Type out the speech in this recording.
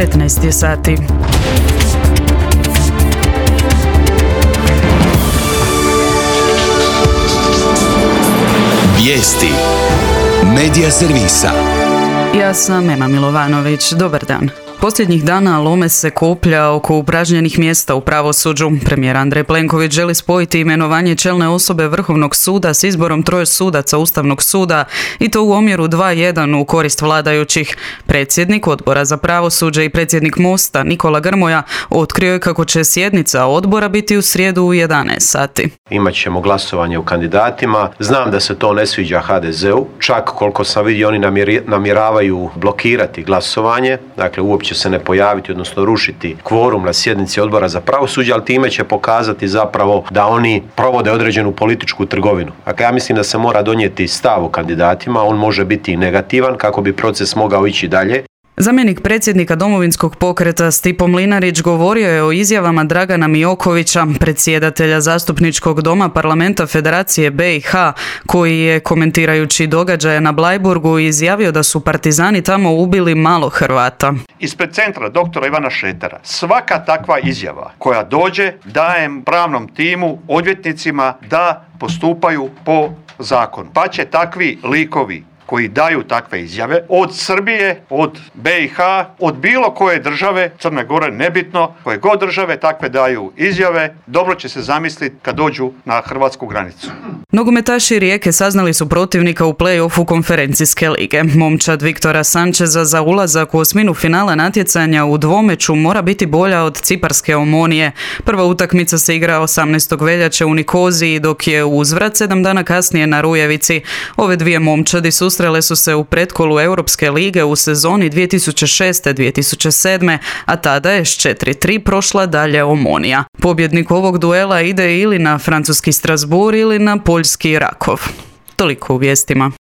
15 je sati. Vijesti Medija servisa. Ja sam Ema Milovanović. Dobar dan. Posljednjih dana lome se koplja oko upražnjenih mjesta u pravosuđu. Premijer Andrej Plenković želi spojiti imenovanje čelne osobe Vrhovnog suda s izborom 3 sudaca Ustavnog suda i to u omjeru 2:1 u korist vladajućih. Predsjednik Odbora za pravosuđe i predsjednik Mosta Nikola Grmoja otkrio je kako će sjednica odbora biti u srijedu u 11 sati. Imat ćemo glasovanje o kandidatima. Znam da se to ne sviđa HDZ-u. Čak koliko sam vidio oni namjeravaju blokirati glasovanje. Dakle, uopće se ne pojaviti, odnosno rušiti kvorum na sjednici Odbora za pravosuđe, ali time će pokazati zapravo da oni provode određenu političku trgovinu. Dakle, ja mislim da se mora donijeti stav o kandidatima, on može biti i negativan kako bi proces mogao ići dalje. Zamjenik predsjednika Domovinskog pokreta Stipo Mlinarić govorio je o izjavama Dragana Miokovića, predsjedatelja Zastupničkog doma Parlamenta Federacije BiH, koji je, komentirajući događaje na Bleiburgu, izjavio da su partizani tamo ubili malo Hrvata. Ispred centra doktora Ivana Šretera svaka takva izjava koja dođe dajem pravnom timu, odvjetnicima da postupaju po zakonu. Pa će takvi likovi koji daju takve izjave od Srbije, od BiH, od bilo koje države, Crne Gore, nebitno, koje god države takve daju izjave, dobro će se zamisliti kad dođu na hrvatsku granicu. Nogometaši Rijeke saznali su protivnika u play-offu konferencijske lige. Momčad Viktora Sančeza za ulazak u osminu finala natjecanja u dvomeću mora biti bolja od ciparske Omonije. Prva utakmica se igra 18. veljače u Nikoziji, dok je uzvrat 7 dana kasnije na Rujevici. Ove dvije momčadi susrele su se u pretkolu Europske lige u sezoni 2006-2007, a tada je s 4:3 prošla dalje Omonija. Pobjednik ovog duela ide ili na francuski Strasbourg ili na poljski Rakov. Toliko u vijestima.